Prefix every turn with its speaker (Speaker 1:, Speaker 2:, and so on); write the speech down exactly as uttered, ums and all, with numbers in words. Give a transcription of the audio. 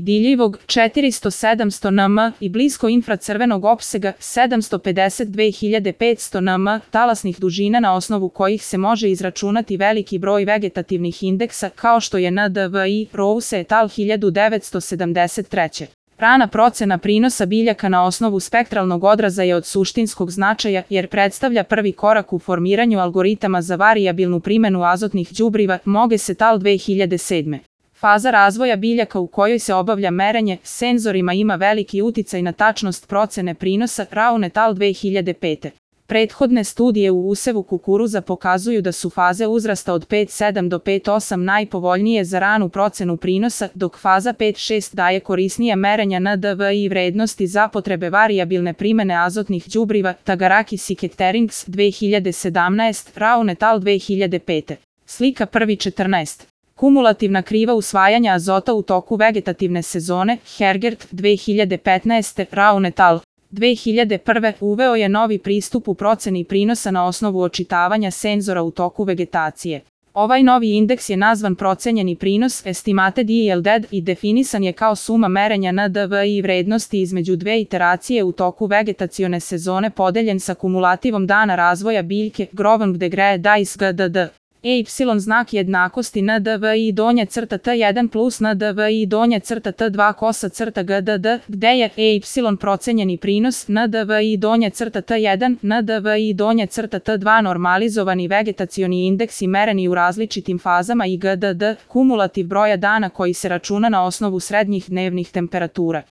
Speaker 1: vidljivog četiristo do sedamsto nm i blisko infracrvenog opsega sedamsto pedeset do dve hiljade petsto nm, talasnih dužina na osnovu kojih se može izračunati veliki broj vegetativnih indeksa kao što je N D V I, Rose et al. hiljadu devetsto sedamdeset treće. Rana procena prinosa biljaka na osnovu spektralnog odraza je od suštinskog značaja jer predstavlja prvi korak u formiranju algoritama za varijabilnu primenu azotnih đubriva, Moges et al. dve hiljade sedme. Faza razvoja biljaka u kojoj se obavlja merenje senzorima ima veliki uticaj na tačnost procene prinosa, Raun et al. dve hiljade pete. Prethodne studije u usevu kukuruza pokazuju da su faze uzrasta od pet sedam do pet osam najpovoljnije za ranu procenu prinosa, dok faza pet šest daje korisnija merenja N D V I vrednosti za potrebe varijabilne primene azotnih đubriva, Tagarakis i Keterings dve hiljade sedamnaeste, Raun et al. dve hiljade pete. Slika prvi četrnaest. Kumulativna kriva usvajanja azota u toku vegetativne sezone, Hergert dve hiljade petnaeste, Raun et al. dve hiljade prve. uveo je novi pristup u proceni prinosa na osnovu očitavanja senzora u toku vegetacije. Ovaj novi indeks je nazvan procenjeni prinos Estimated Yield i definisan je kao suma merenja N D V I vrednosti između dve iteracije u toku vegetacione sezone podeljen sa kumulativom dana razvoja biljke Growing Degree Dice G D D. Y znak jednakosti N D V I donja crta T jedan plus N D V I donja crta T dva kosa crta G D D, gde je Y procenjeni prinos, N D V I donja crta T jedan, N D V I donja crta T dva normalizovani vegetacioni indeksi mereni u različitim fazama i G D D, kumulativ broja dana koji se računa na osnovu srednjih dnevnih temperatura.